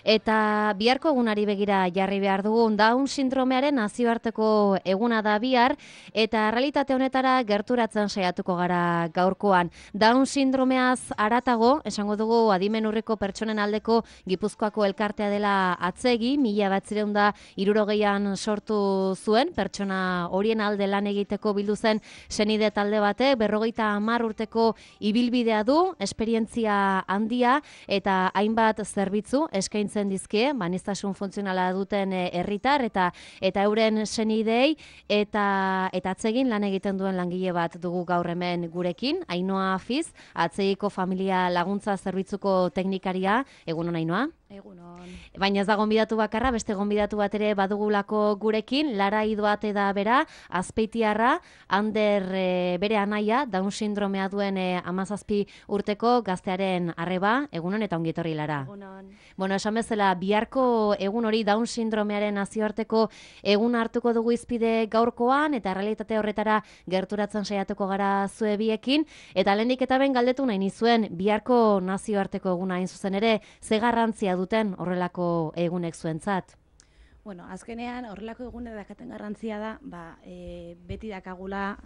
Eta biharko egunari begira jarri behar dugu, Down sindromearen nazioarteko eguna da bihar, eta realitate honetara gerturatzen saiatuko gara gaurkoan. Down sindromeaz haratago, esango dugu adimen urriko pertsonen aldeko Gipuzkoako elkartea dela atzegi, 1960an sortu zuen, pertsona horien alde lan egiteko bildu zen senide talde batek, 50 urteko ibilbidea du, esperientzia handia eta hainbat zerbitzu eskaintzen dizkie, aniztasun funtzionala duten herritar eta euren senideei eta atzegin lan egiten duen langile bat dugu gaur hemen gurekin, Ainhoa Afiz, atzegiko familia laguntza zerbitzuko teknikaria. Egunon, Ainhoa? Egunon. Baina ez da gonbidatu bakarra, beste gonbidatu bat ere badugulako gurekin, Lara Idoate da bera, Azpeitiarra, Ander bere anaia, Down sindromea duen 17 urteko gaztearen arreba. Egunon eta ongi etorri, Lara. Egunon. Bueno, esan bezala, biharko egun hori Down sindromearen nazioarteko egun hartuko dugu izpide gaurkoan, eta realitate horretara gerturatzen saiatuko gara zue biekin, eta lehendik eta ben galdetu nahi nizuen, biharko nazioarteko eguna hain zuzen ere, ze garrantzia duten horrelako egunek zuentzat? Bueno, azkenean horrelako egune dakaten garrantzia da, beti dakagula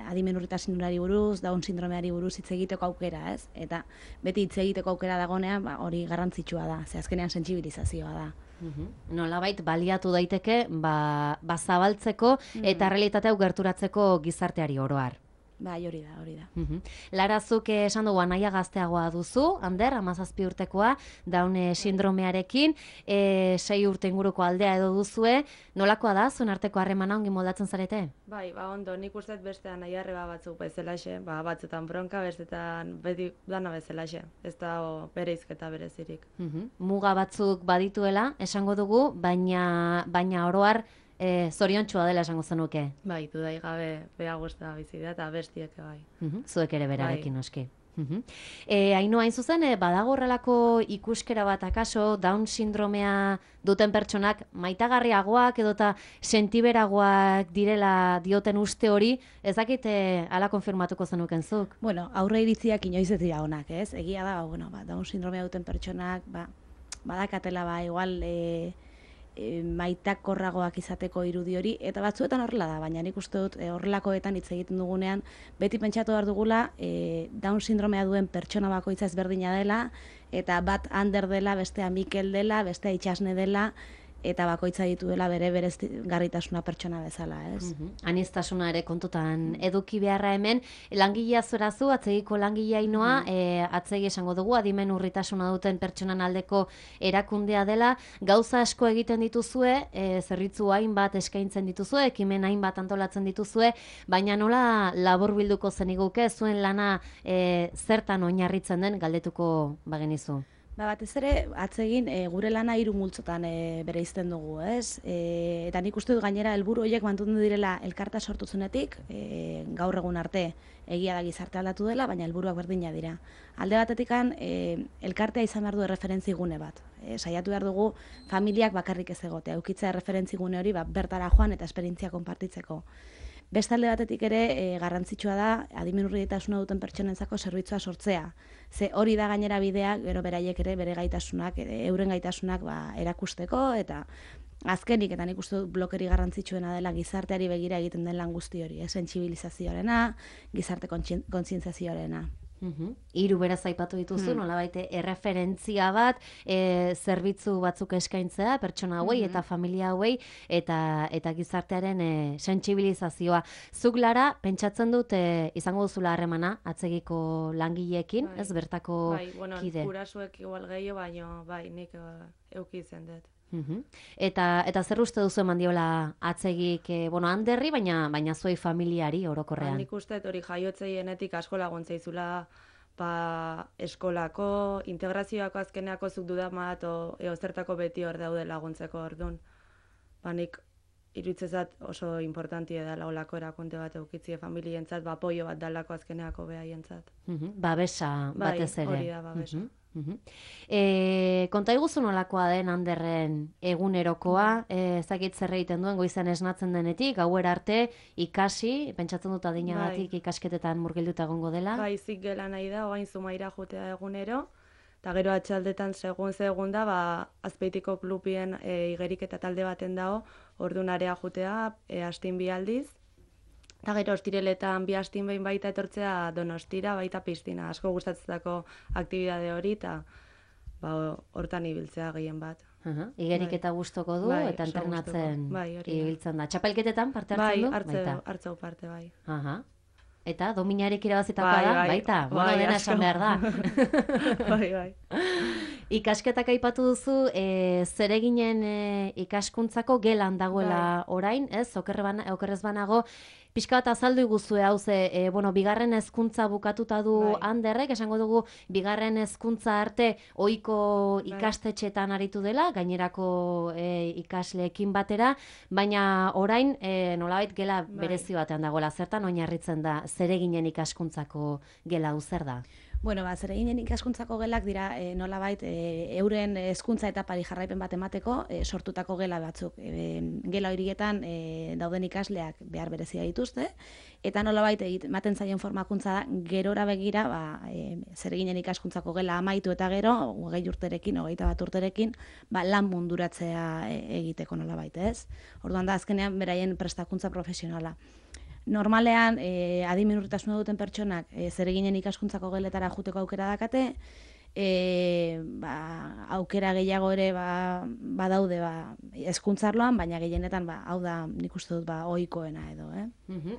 adimen urritasunari buruz, Down sindromeari buruz hitz egiteko aukera, ez? Eta beti hitz egiteko aukera dagonean, hori garrantzitsua da, ze azkenean sentsibilizazioa da. Nolabait baliatu daiteke, zabaltzeko eta realitate hau gerturatzeko gizarteari oro har. Bai, hori da. Lara, zuk esan dugu anaia gazteagoa duzu, Ander, 17 urtekoa, Down sindromearekin, 6 urte inguruko aldea edo duzue, nolakoa da, zuen arteko harremana ongi moldatzen zarete? Bai, ondo, nik uste beste anaia arreba batzuk bezalaxe, batzutan bronka, bestetan beti dana bezalaxe, ez da bereizketa berezirik. Muga batzuk badituela, esango dugu, baina oro har, zoriontsua dela esango zenuke. Bai, dudai gabe bea guztia bizi da eta bestiek bai. Zuek ere berarekin noski. Ainhoa, hain zuzen, badago horrelako ikuskera bat akaso, Down sindromea duten pertsonak maitagarriagoak edota sentiberagoak direla dioten uste hori, ez dakit hala konfirmatuko zenuken zuk? Bueno, aurre iritziak inoiz ez dira onak, ez? Egia da, Down sindromea duten pertsonak, badakatela, igual maitakorragoak izateko irudi hori, eta batzuetan horrela da, baina nik uste dut horrelakoetan hitz egiten dugunean, beti pentsatu behar dugula Down sindromea duen pertsona bakoitza ezberdina dela, eta bat Ander dela, bestea Mikel dela, bestea Itxasne dela, eta bakoitza dituela bere garritasuna pertsona bezala, ez? Aniztasuna ere kontutan eduki beharra hemen, langilea zorazu, atzegiko langilea Ainhoa, atzegi esango dugu, adimen urritasuna duten pertsonan aldeko erakundea dela, gauza asko egiten dituzue, zerbitzu hainbat eskaintzen dituzue, ekimen hainbat antolatzen dituzue, baina nola laburbilduko zeniguke, zuen lana zertan oinarritzen den galdetuko bagenizu? Batez ere, atzegin gure lana 3 multzotan bereizten dugu, ez? Eta nik uste dut gainera helburu horiek mantendu direla elkarta sortu zenetik, gaur egun arte egia da gizarte aldatu dela, baina helburuak berdina dira. Alde batetikan, elkartea izan behar du erreferentzi gune bat. Saiatu behar dugu familiak bakarrik ez egotea, eukitzea erreferentzi gune hori bertara joan eta esperientzia konpartitzeko. Beste alde batetik ere garrantzitsua da adimen urritasuna duten pertsonentzako zerbitzua sortzea. Ze hori da gainera bidea, gero beraiek ere bere gaitasunak, euren gaitasunak erakusteko, eta azkenik, eta nik uste dut blokeri garrantzitsuena dela gizarteari begira egiten den lan guzti hori, sentsibilizazioarena, gizarte kontzientziazioarena. 3 beraz aipatu dituzu, nolabait erreferentzia bat, zerbitzu batzuk eskaintzea, pertsona hauei eta familia hauei, eta gizartearen sentsibilizazioa. Zuk, Lara, pentsatzen dut izango duzula harremana atzegiko langileekin, ez bertako kide? Bai, gurasuek igual gehiago, baina nik euki izen dut. Eta zer uste duzu eman diola atzegik, Anderri, baina zuei familiari orokorrean? Nik uste hori jaiotzeienetik asko laguntza izula eskolako, integrazioako azkeneako zuk dudamat, zertako beti hor daude laguntzeko ordun. Nik iruditzezat oso importantia da olako erakunde bat eukitzie familientzat, apoio bat dalako azkeneako behaientzat. Babesa batez ere. Hori da, babesa. Konta iguzu nolakoa den Anderren egunerokoa, ezakit zer egiten duen goizan esnatzen denetik, gauera arte ikasi, pentsatzen dut adinagatik ikasketetan murgilduta egongo dela. Zik gela nahi da, oain Zumaira jotea egunero, Eta gero atxaldetan segun da, Azpeitiko klubien igerik eta talde baten dago, orduan area jutea, astin 2 aldiz. Eta gero ostireletan 2 astin behin baita etortzea Donostira, baita piztina. Asko gustatzetako aktibidade hori, eta hortan ibiltzea gehien bat. Igerik eta gustoko du, eta entrenatzen ibiltzen da. Txapelketetan parte hartzen du? Bai, hartzeu parte, bai. Eta dominarik irabazitakoa da, baita? Bueno, dena esan behar da. Bai. Ikasketak aipatu duzu, zereginen ikaskuntzako gelan dagoela orain, ez? Okerrez banago, pixka bat azaldu iguzue, hau bigarren hezkuntza bukatuta du Anderrek, esango dugu, bigarren hezkuntza arte ohiko ikastetxetan aritu dela, gainerako ikasleekin batera, baina orain nolabait gela berezi batean dagoela, zertan oinarritzen da zereginen ikaskuntzako gela zer da? Bueno, zereginen ikaskuntzako gelak dira nolabait euren hezkuntza etapari jarraipen bat emateko sortutako gela batzuk. Gela horietan dauden ikasleak behar berezia dituzte, eta nolabait ematen zaien formakuntza da gerora begira zereginen ikaskuntzako gela amaitu eta gero, 20 urterekin, 21 urterekin, lan munduratzea egiteko nolabait, ez? Orduan da, azkenean beraien prestakuntza profesionala. Normalean, adimenurritasuna duten pertsonak zereginen ikaskuntzako geletara juteko aukera dakate, aukera gehiago ere badaude hezkuntzarloan, baina gehienetan hau da nik uste dut ohikoena edo.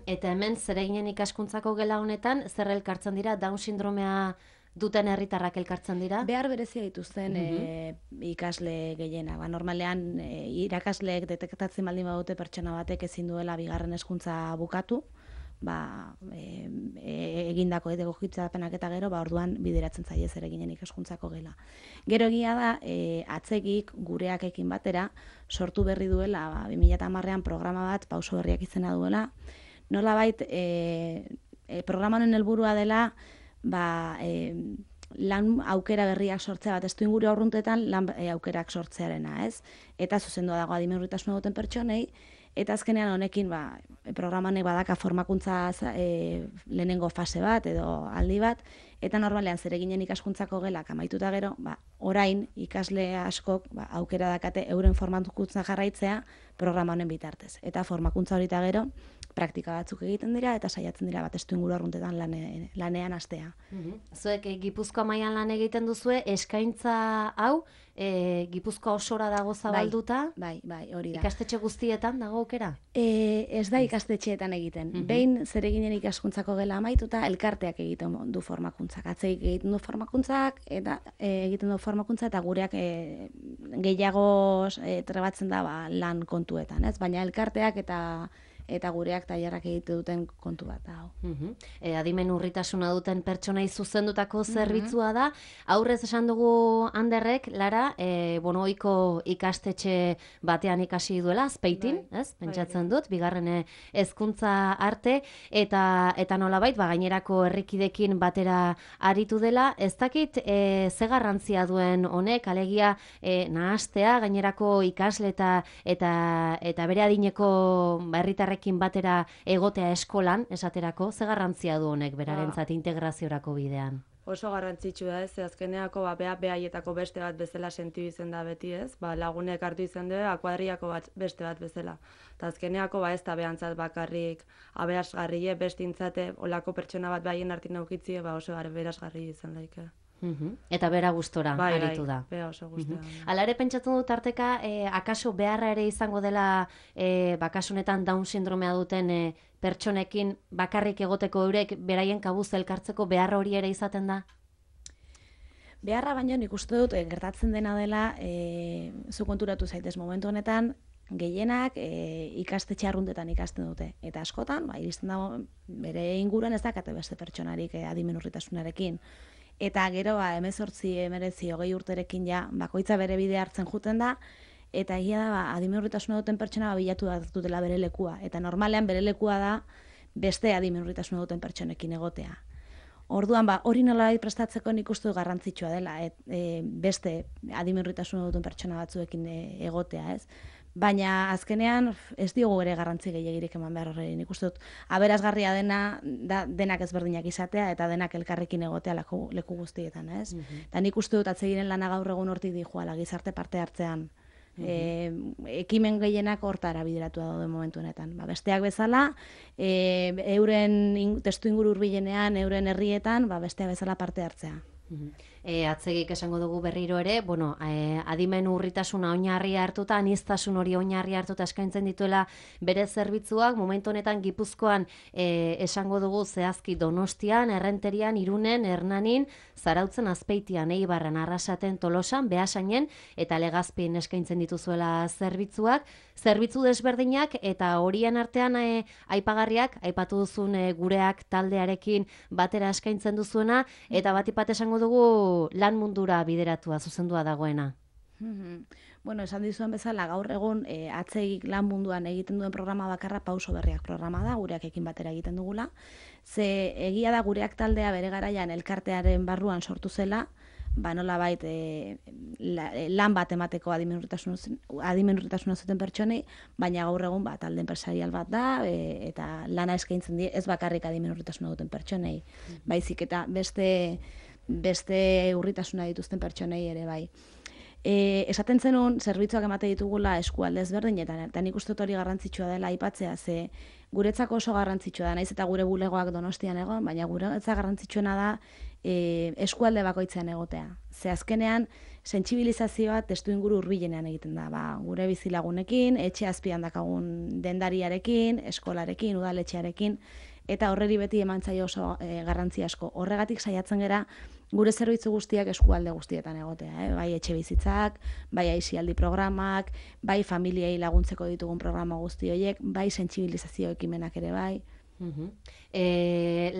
Eta hemen zereginen ikaskuntzako gela honetan, zer elkartzen dira Down sindromea duten herritarrak elkartzen dira? Behar berezia dituzten ikasle gehienak. Normalean irakasleek detektatzen baldin badute pertsona batek ezin duela bigarren hezkuntza bukatu, egindako egokitzapenak eta gero, orduan bideratzen zaie zereginen ikaskuntzako gela. Gero egia da, atzegik gureakekin batera, sortu berri duela, 2010ean programa bat, pauso berriak izena duela, nolabait programa honen helburua dela, lan aukera berriak sortzea bat, ez du inguru aurruntetan lan aukerak sortzearena, ez? Eta zuzendua dago adimenurritasuna duten pertsonei, eta azkenean honekin programa honek badaka formakuntza lehenengo fase bat edo aldi bat, eta normalean zereginen ikaskuntzako gelak amaituta gero, orain ikasle askok aukera dakate euren formakuntza jarraitzea programa honen bitartez. Eta formakuntza hori eta gero, praktika batzuk egiten dira eta saiatzen dira testu inguru arruntetan lanean hastea. Zuek Gipuzkoa mailan lan egiten duzue, eskaintza hau Gipuzkoa osora dago zabalduta? Bai, hori da. Ikastetxe guztietan dago aukera? Ez da ikastetxeetan egiten. Behin zereginen ikaskuntzako gela amaituta elkarteak egiten du formakuntzak. Atzeik egiten du formakuntzak eta gureak gehiago trebatzen da lan kontuetan, ez? Baina elkarteak eta gureak tailerrak egite duten kontu bat da. Adimen urritasuna duten pertsonei zuzendutako zerbitzua da. Aurrez esan dugu Anderrek, Lara, ohiko ikastetxe batean ikasi duela, Azpeitin, ez? Pentsatzen dut, bigarren hezkuntza arte, eta nolabait, gainerako herrikidekin batera aritu dela. Ez dakit ze garrantzia duen honek, alegia nahastea, gainerako ikasle eta bere adineko herritarrek batera egotea eskolan, esaterako, ze garrantzia du honek berarentzat integraziorako bidean? Oso garrantzitsu da, ez, azkeneako behaietako beste bat bezala sentitu izen da beti, ez, lagunek hartu izen du, akuadriako beste bat bezala. Eta azkeneako ez da behantzat bakarrik aberasgarrie, bestintzate, olako pertsona bat behaien hartin aukitzie, oso aberasgarri izan daike. Eta bera gustora aritu da. Bai, oso gustora. Hala ere pentsatzen dut arteka, akaso beharra ere izango dela, bakasunetan Down sindromea duten pertsonekin bakarrik egoteko eurek beraien kabuz elkartzeko beharra hori ere izaten da? Beharra baino nik uste dut gertatzen dena dela, zu konturatu zaitez momentu honetan, gehienak ikastetxe arruntetan ikasten dute. Eta askotan, iristen dago bere inguruan ez dakate beste pertsonarik adimenurritasunarekin. Eta gero, 18, 19, 20 urterekin bakoitza bere bide hartzen juten da, eta egia da, adimenurritasuna duten pertsona bilatu dutela bere lekua. Eta normalean bere lekua da beste adimenurritasuna duten pertsonekin egotea. Orduan, hori nolabait prestatzeko nik uste dut garrantzitsua dela, beste adimenurritasuna duten pertsona batzuekin egotea, ez? Baina azkenean ez diogu ere garrantzi gehiagirik eman behar horreri. Nik uste dut aberasgarria denak ezberdinak izatea eta denak elkarrekin egotea leku guztietan, ez? Eta nik uste dut atsegiren lana gaur egun hortik dijoala gizarte parte hartzean. Ekimen gehienak hortara bideratu daude momentu honetan. Besteak bezala, euren testu inguru hurbilenean, euren herrietan, besteak bezala parte hartzea. Atzegik esango dugu berriro ere, adimen urritasuna oinarri hartuta, aniztasun hori oinarri hartuta eskaintzen dituela bere zerbitzuak, momentu honetan Gipuzkoan esango dugu zehazki Donostian, Errenterian, Irunen, Hernanin, Zarautzen, Azpeitian, Eibarren, Arrasaten, Tolosan, Beasainen eta Legazpin eskaintzen dituzuela zerbitzuak, zerbitzu desberdinak eta horien artean aipagarriak, aipatu duzun gureak taldearekin batera eskaintzen duzuena, eta bat esango dugu lan mundura bideratua, zuzendua dagoena. Bueno, esan dizuen bezala, gaur egun atzeik lan munduan egiten duen programa bakarra Pauso Berriak programa da, gureakekin batera egiten dugula. Ze egia da gureak taldea bere garaian elkartearen barruan sortu zela, nolabait lan bat emateko adimenurritasuna zuten pertsonei, baina gaur egun talde enpresarial bat da, eta lana eskaintzen die ez bakarrik adimenurritasuna duten pertsonei, baizik eta beste urritasuna dituzten pertsonei ere bai. Esaten zenun, zerbitzuak emate ditugula eskualde ezberdinetan, eta nik uste hori garrantzitsua dela aipatzea, ze guretzako oso garrantzitsua da, naiz eta gure bulegoak Donostian egon, baina guretzako garrantzitsuena da eskualde bakoitzean egotea. Ze azkenean, sentsibilizazioa testu inguru hurbilenean egiten da, gure bizilagunekin, etxe azpian dakagun dendariarekin, eskolarekin, udaletxearekin, eta horreri beti eman zaio oso garrantzi asko. Horregatik saiatzen gera gure zerbitzu guztiak eskualde guztietan egotea, bai etxe bizitzak, bai aisialdi programak, bai familiei laguntzeko ditugun programa guzti horiek, bai sentsibilizazio ekimenak ere bai.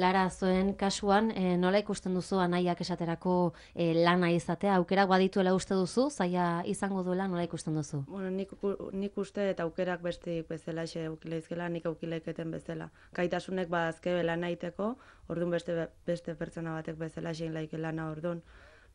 Lara, zuen kasuan, nola ikusten duzu anaiak esaterako lana izatea? Aukerak badituela uste duzu, zaila izango duela, nola ikusten duzu? Bueno, nik uste eta aukerak besteik bezala xe aukileizkela, nik aukileiketen bezala. Gaitasunek badazke lana egiteko, orduan beste pertsona batek bezala xein laike lana orduan.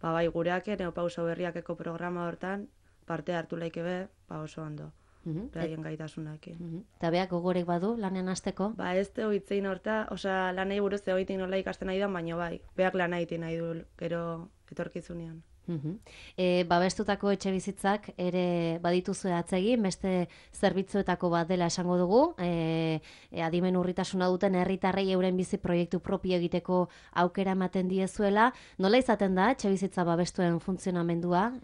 Bai, gureak ere Pauso Berriakeko programa hortan parte hartu laike be, oso ondo. Beraien gaitasunakin. Eta beak gogorek badu lanean hasteko? Ez teo hitzein horta, lanei buruz egoitik nola ikasten nahi da, baina bai, beak lana egiten nahi du gero etorkizunean. Babestutako etxe bizitzak ere badituzu atzegin, beste zerbitzuetako bat dela esango dugu, adimen urritasuna duten herritarrei euren bizi proiektu propio egiteko aukera ematen diezuela. Nola izaten da etxe bizitza babestuen funtzionamendua?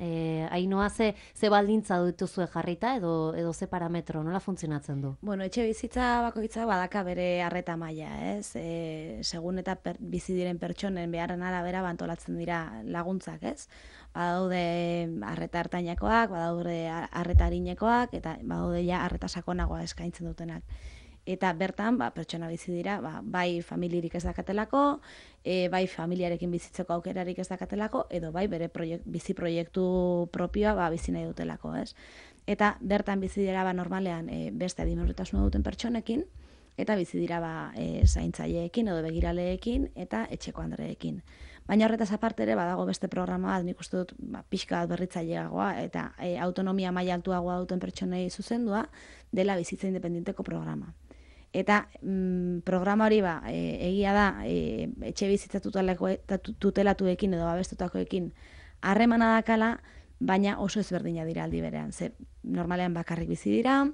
Ainhoa, ze baldintza dituzue jarrita edo ze parametro, nola funtzionatzen du? Bueno, etxe bizitza bakoitza badaka bere arreta maila, ez? Segun eta bizi diren pertsonen beharren arabera antolatzen dira laguntzak, ez? Badaude arreta hartainakoak, badaude arreta arinekoak, eta badaude ja arreta sakonagoa eskaintzen dutenak. Eta bertan, pertsona bizi dira, bai familirik ez dakatelako, bai familiarekin bizitzeko aukerarik ez dakatelako, edo bai bere bizi proiektu propioa bizi nahi dutelako, ez? Eta bertan bizi dira normalean beste adimenurritasuna duten pertsonekin, eta bizi dira zaintzaileekin edo begiraleekin eta etxeko andreekin. Baina horretaz aparte ere badago beste programa bat, nik uste dut pixka bat berritzaileagoa eta autonomia maila altuagoa duten pertsonei zuzendua dela bizitza independienteko programa. Eta programa hori egia da etxe bizitza tutelatuekin edo babestutakoekin harremana dakala, baina oso ezberdina dira aldi berean. Ze normalean bakarrik bizi dira,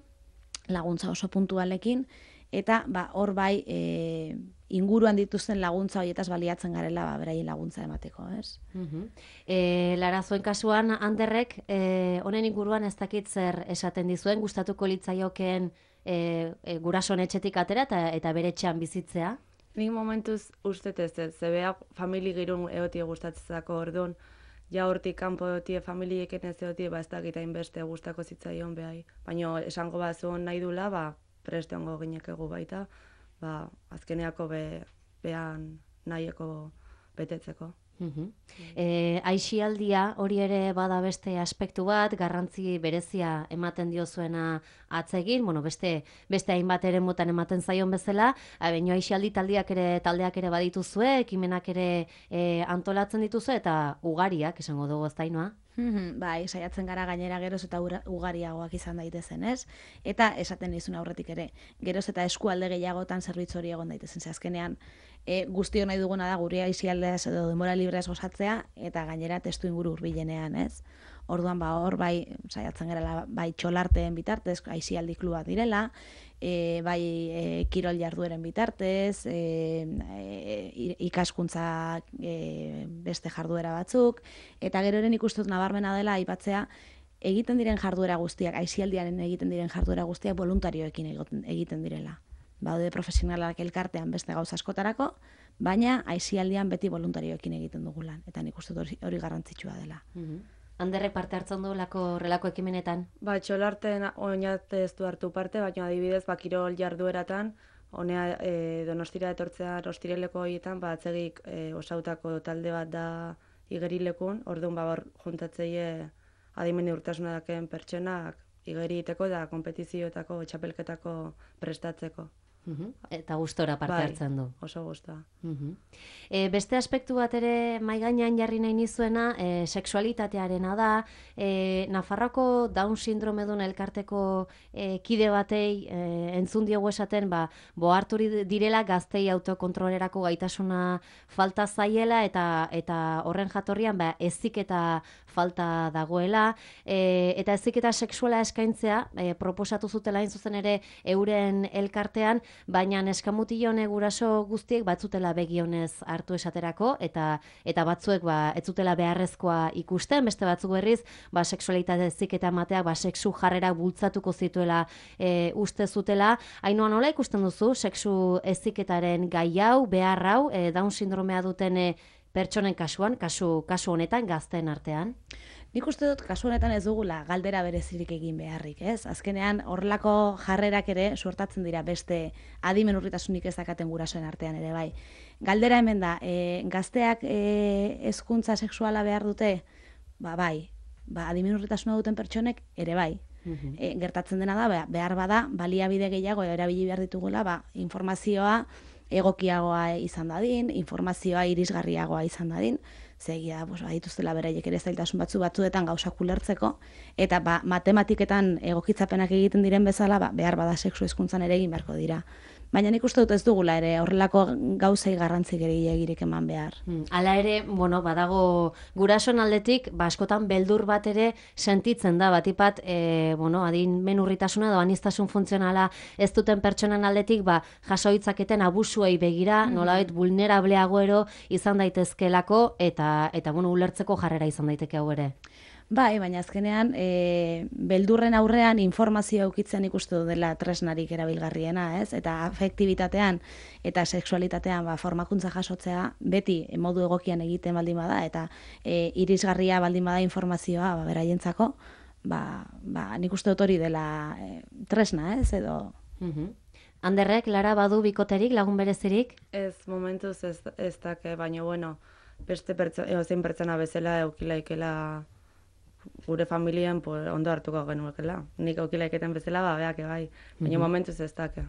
laguntza oso puntualekin, eta hor bai inguruan dituzten laguntza horietaz baliatzen garela beraien laguntza emateko, ez? Lara, zuen kasuan, Anderrek, honen inguruan ez dakit zer esaten dizuen, gustatuko litzaiokeen gurasoen etxetik atera eta bere etxean bizitzea? Nik momentuz ustez ez, zebeak famili girun egotie gustatzeko orduan, ja hortik kanpo egotie familieken ez egotie, ez dakit hainbeste gustako zitzaion behai. Baina esango bazuen nahi dula, preste hongo ginekegu baita, azkeneako behan nahieko betetzeko. Aisialdia hori ere bada beste aspektu bat, garrantzi berezia ematen diozuena atzegin, beste hainbat ere motan ematen zaion bezala, baina aisialdi taldeak ere badituzue, ekimenak ere antolatzen dituzue eta ugariak, esango dugu eztainoa. Bai, saiatzen gara gainera geroz eta ugariagoak izan daitezen, ez? Eta esaten nizun aurretik ere, geroz eta eskualde gehiagotan zerbitzu hori egon daitezen, ze azkenean guztio nahi duguna da gure aisialdeaz edo denbora libreaz gozatzea eta gainera testu inguru hurbilenean, ez? Orduan hor bai saiatzen gara bai txolarteen bitartez, aisialdi klubak direla, bai kirol jardueren bitartez, ikaskuntza beste jarduera batzuk, eta gero eren ikustut nabarmena dela aipatzea egiten diren jarduera guztiak, aisialdiaren egiten diren jarduera guztiak voluntarioekin egiten direla. Baude profesionalak elkartean beste gauza askotarako, baina aisialdian beti voluntarioekin egiten dugu lan, eta nik uste hori garrantzitsua dela. Handerrek parte hartzen du horrelako ekimenetan? Txolarten oinate ez du hartu parte, baina adibidez, kirol jardueratan, honea Donostira etortzea ostireleko horietan, atzegik osautako talde bat da igerilekun, orduan hor juntatzeie adimen urtasuna daken pertsonak igeri iteko da konpetizioetako, txapelketako prestatzeko. Eta gustora parte hartzen du. Oso gustora. Beste aspektu bat ere mahai gainean jarri nahi nizuena, sexualitatearena da, Nafarroako Down sindromedun elkarteko kide batei entzun diogu esaten, hartu direla gaztei autokontrolerako gaitasuna falta zaiela eta horren jatorrian heziketa falta dagoela, eta heziketa sexuala eskaintzea proposatu zutela hain zuzen ere euren elkartean, baina neskamutilon guraso guztiek batzutela begionez hartu esaterako, eta batzuek ez zutela beharrezkoa ikusten, beste batzuk berriz, sexualitate heziketa emateak sexu jarrera bultzatuko zituela uste zutela. Ainhoa, nola ikusten duzu sexu heziketaren gai hau, behar hau, Down sindromea duten pertsonen kasuan, kasu honetan gazteen artean? Nik uste dut kasu honetan ez dugula galdera berezirik egin beharrik, ez? Azkenean horrelako jarrerak ere suertatzen dira beste adimen urritasunik ez dakaten gurasoen artean ere bai. Galdera hemen da, gazteak hezkuntza sexuala behar dute? Bai, adimen urritasuna duten pertsonek ere bai. Gertatzen dena da, behar bada, baliabide gehiago erabili behar ditugula, informazioa egokiagoa izan dadin, informazioa irisgarriagoa izan dadin, zegia, dituztela beraiek ere zailtasun batzuetan gauzak ulertzeko, eta matematiketan egokitzapenak egiten diren bezala, behar bada sexu hezkuntzan ere egin beharko dira. Baina nik uste dut ez dugula ere horrelako gauzei garrantzi gehiagirik eman behar. Hala ere, badago gurasoen aldetik, askotan beldur bat ere sentitzen da, batipat, adimen urritasuna edo aniztasun funtzionala ez duten pertsonen aldetik, jaso ditzaketen abusuei begira, nolabait vulnerableago izan daitezkelako, eta ulertzeko jarrera izan daiteke hau ere. Bai, baina azkenean beldurren aurrean informazioa eukitzen ikustu dela tresnarik erabilgarriena, ez? Eta afektibitatean eta sexualitatean formakuntza jasotzea beti modu egokian egiten baldin bada eta irisgarria baldin bada informazioa beraientzako, nik uste dut hori dela tresna, ez? Edo Anderrek, Lara, badu bikoterik, lagun berezirik? Ez, momentuz ez dake, baina beste zein pertsona bezala eukilaikela gure familian ondo hartuko genuekela. Nik aukilaiketen bezala, beak bai. Baina momentuz ez dake.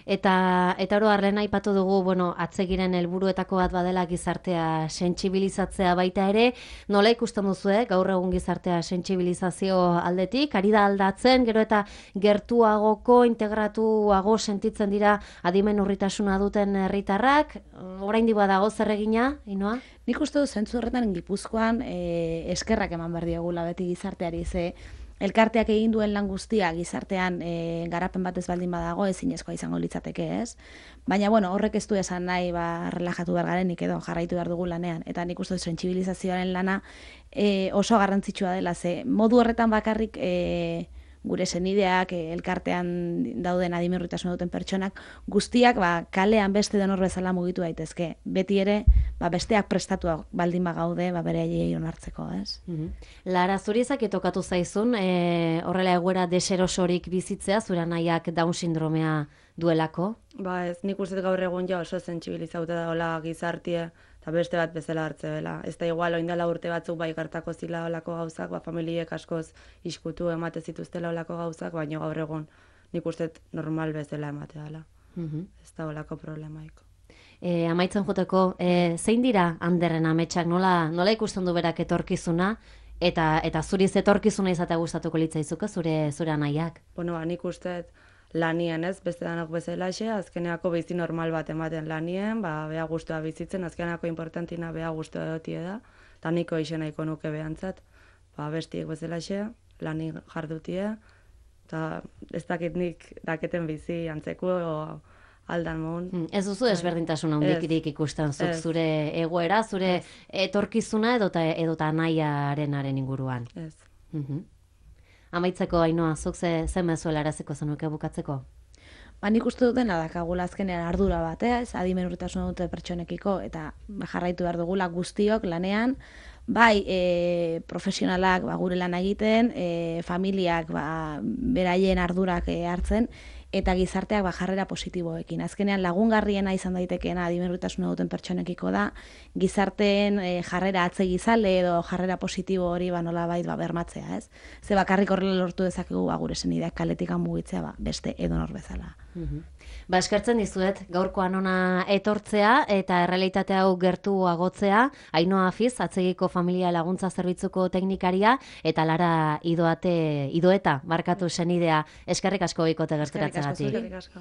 Eta oro harren aipatu dugu, atzegiren helburuetako bat badela gizartea sentsibilizatzea baita ere, nola ikusten duzu, gaur egun gizartea sentsibilizazio aldetik, ari da aldatzen, gero eta gertuagoko, integratuago sentitzen dira adimen urritasuna duten herritarrak, oraindik badago zer egina, Ainhoa? Nik uste dut zentzu horretan Gipuzkoan eskerrak eman behar diogula beti gizarteari, ze elkarteak egin duen lan guztia gizartean garapen batez baldin badago ezinezkoa izango litzateke, ez? Baina, horrek ez du esan nahi relajatu behar garenik edo jarraitu behar dugu lanean. Eta nik uste dut sentsibilizazioaren lana oso garrantzitsua dela, ze modu horretan bakarrik gure senideak, elkartean dauden adimen urritasuna duten pertsonak, guztiak kalean beste denor bezala mugitu daitezke. Beti ere, besteak prestatuak baldin bagaude, beraiei onartzeko, ez? Lara, zuri tokatu zaizun, horrela egoera deserosorik bizitzea, zure nahiak Down sindromea duelako? Ez, nik uste gaur egun oso sentsibilizauta dagoela gizartie eta beste bat bezala hartze dela. Ez da igual, oindala urte batzuk bai gertako zila olako gauzak, familiek askoz iskutu emate zituztela olako gauzak, baina gaur egun nik uste normal bezala emate dela. Ez da olako problemaik. Amaitzen joteko, zein dira Anderren ametsak, nola ikusten du berak etorkizuna, eta zuriz etorkizuna izatea gustatuko litzaizuke zure anaiak? Bueno, nik uste lanien ez, beste danok bezala azkeneako bizi normal bat ematen lanien, bea guztua bizitzen, azkeneako importantina bea guztua dotie da, eta niko izen nahiko nuke behantzat, bestiek bezala lani jardutie, eta ez dakit nik daketen bizi antzeko aldan mohun. Ez duzu desberdintasun handikirik ikusten zuk zure egoera, zure etorkizuna edota anaiarenaren inguruan. Ez. Amaitzeko, Ainhoa, zuk ze mezuela eraziko zenuke bukatzeko? Nik uste dutena dakagula azkenean ardura bat, ez? Adimen urritasuna dute pertsonekiko, eta jarraitu behar dugula guztiok lanean, bai profesionalak gure lan egiten, familiak beraien ardurak hartzen, eta gizarteak jarrera positiboekin. Azkenean lagungarriena izan daitekeena adimenurtasuna duten pertsonekiko da, gizarteen jarrera atzegizale edo jarrera positibo hori nolabait bermatzea, ez? Ze bakarrik horrela lortu dezakegu gure senideak kaletik mugitzea beste edonor bezala. Eskertzen dizuet gaurkoan ona etortzea eta errealitate hau gertu agotzea, Ainhoa Afiz, Atzegiko Familia Laguntza Zerbitzuko teknikaria, eta Lara Idoeta, barkatu senidea. Eskerrik asko bikote gerturatzeagatik. Eskerrik asko.